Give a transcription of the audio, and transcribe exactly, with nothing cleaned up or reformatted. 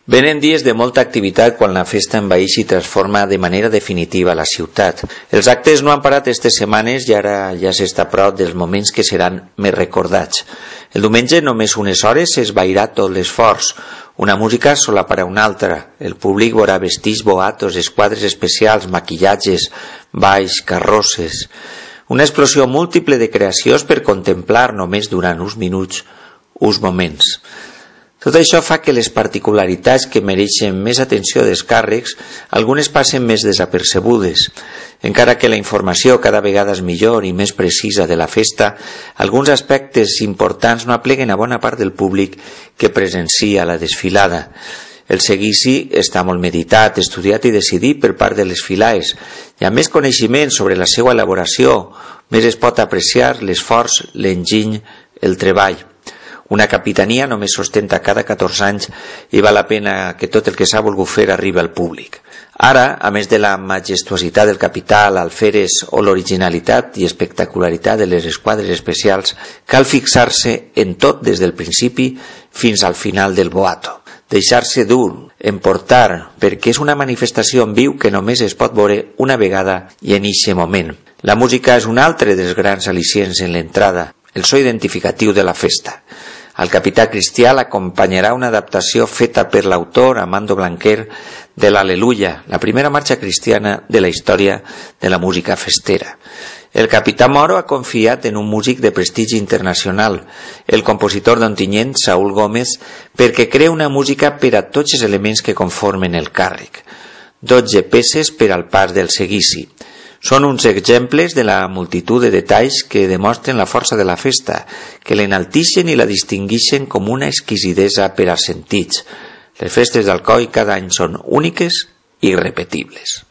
Venen dies de molta activitat quan la festa envaeix i transforma de manera definitiva la ciutat. Els actes no han parat aquestes setmanes i ara ja s'està a prop dels moments que seran més recordats. El diumenge, només unes hores, s'esvairà tot l'esforç. Una música solaparà una altra. El públic veurà vestits, boatos, esquadres especials, maquillatges, balls, carrosses. Una explosió múltiple de creacions per contemplar només durant uns minuts, uns moments. Tot això fa que les particularitats que mereixen més atenció dels càrrecs algunes passen més desapercebudes. Encara que la informació cada vegada és millor i més precisa de la festa, alguns aspectes importants no apleguen a bona part del públic que presencia la desfilada. El seguici està molt meditat, estudiat i decidit per part de les filaes, i amb més coneixement sobre la seva elaboració, més es pot apreciar l'esforç, l'enginy, el treball. Una capitania només s'ostenta cada catorze anys i val la pena que tot el que s'ha volgut fer arribi al públic. Ara, a més de la majestuositat del capital, alferes o l'originalitat i espectacularitat de les esquadres especials, cal fixar-se en tot des del principi fins al final del boato. Deixar-se dur, emportar, perquè és una manifestació en viu que només es pot veure una vegada i en eixe moment. La música és un altre dels grans al·licients en l'entrada, el so identificatiu de la festa. Al capità Cristià l'acompanyarà una adaptació feta per l'autor Amando Blanquer de l'Al·leluia, la primera marxa cristiana de la història de la música festera. El capità Moro ha confiat en un músic de prestigi internacional, el compositor d'Ontinyent, Saúl Gómez, perquè crea una música per a tots els elements que conformen el càrrec. dotze peces per al pas del seguici. Són uns exemples de la multitud de detalls que demostren la força de la festa, que l'enaltixen i la distinguixen com una exquisidesa per als sentits. Les festes d'Alcoi cada any són úniques i irrepetibles.